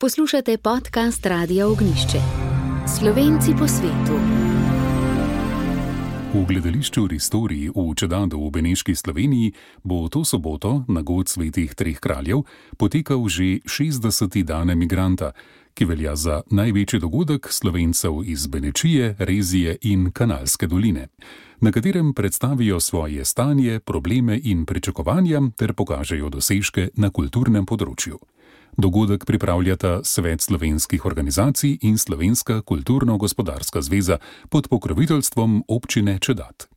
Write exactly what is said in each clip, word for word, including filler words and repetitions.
Poslušate podcast Radia Ognjišče. Slovenci po svetu. V gledališču Ristori v Čedadu v Beneški Sloveniji bo to soboto na god svetih treh kraljev potekal že šestdeseti dan emigranta, ki velja za največji dogodek Slovencev iz Benečije, Rezije in Kanalske doline, na katerem predstavijo svoje stanje, probleme in pričakovanja ter pokažejo dosežke na kulturnem področju. Dogodek pripravljata Svet slovenskih organizacij in Slovenska kulturno-gospodarska zveza pod pokroviteljstvom občine Čedad.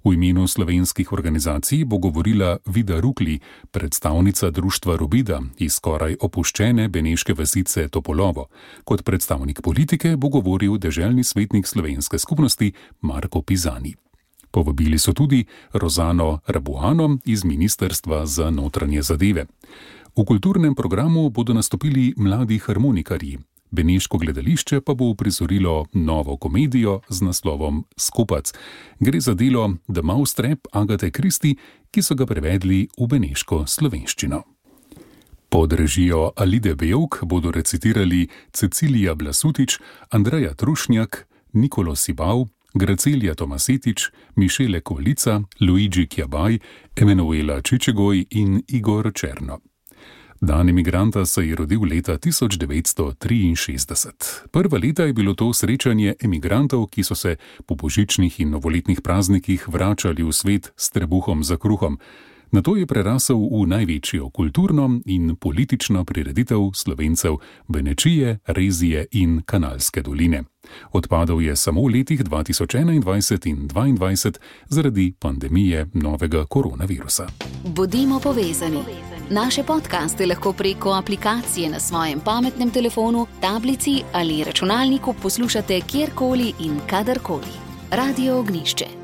V imenu slovenskih organizacij bo govorila Vida Rukli, predstavnica društva Robida iz skoraj opuščene beneške vasice Topolovo. Kot predstavnik politike bo govoril deželni svetnik slovenske skupnosti Marko Pizani. Povabili so tudi Rozano Rabuano iz Ministrstva za notranje zadeve. V kulturnem programu bodo nastopili mladi harmonikarji. Beneško gledališče pa bo uprizorilo novo komedijo z naslovom Skupac. Gre za delo The Mousetrap Agate Christie, ki so ga prevedli v beneško slovenščino. Pod režijo Alide Bevk bodo recitirali Cecilija Blasutič, Andreja Trušnjak, Nikolo Sibav, Gracelija Tomasetič, Mišele Kvalica, Luigi Kjabaj, Emanuela Čičegoj in Igor Černo. Dan emigranta se je rodil leta tisoč devetsto triinšestdeset. Prva leta je bilo to srečanje emigrantov, ki so se po božičnih in novoletnih praznikih vračali v svet s trebuhom za kruhom. Nato je prerasel v največjo kulturno in politično prireditev Slovencev Benečije, Rezije in Kanalske doline. Odpadal je samo v letih dva tisoč enaindvajset in dvaindvajset zaradi pandemije novega koronavirusa. Bodimo povezani. Naše podcaste lahko preko aplikacije na svojem pametnem telefonu, tablici ali računalniku poslušate kjerkoli in kadarkoli. Radio Ognjišče.